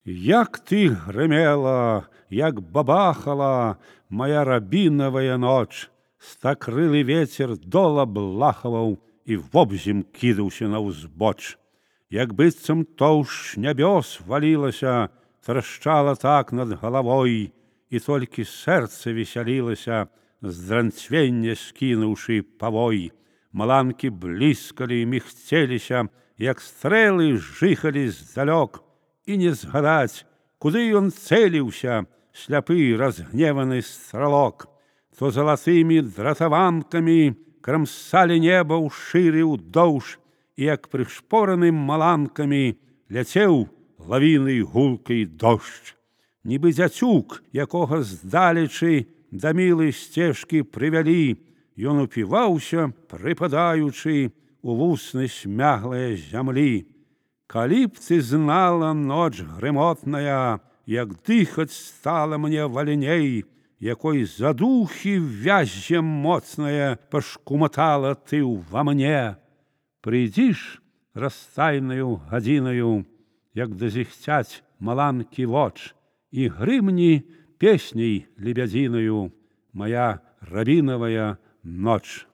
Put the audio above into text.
Як ты грымела, як бабахала моя рабінавая ноч, стакрылы вецер дола блахаваў і вобзем кідаўся на ўзбоч. Як быццам тоўшч нябёс валілася, трашчала так над галавой, і толькі сэрца весялілася, з дранцвення скінуўшы павой. Маланкі бліскалі і мігцеліся, як стрэлы жыхалі здалёк, і не згадаць, куды ён цэліўся, сляпы разгневаны стралок. То залатымі дратаванкамі крамсалі неба ўшыры ўдоўж, і як прышпораным маланкамі ляцеў лавінай гулкай дождж. Нібы дзяцюк, якога здалечы да мілай сцежкі прывялі, ён упіваўся, прыпадаючы у вусны смяглае зямлі. Калі б ты знала, ноч грымотная, як дыхаць стала мне вальней, якой задухі вяззем моцнае пашкуматала ты ўва мне. Прыйдзіш растайнаю гадзінаю, як дазіхцяць маланкі воч, і грымні песняй лебядзінаю моя рабінавая ноч.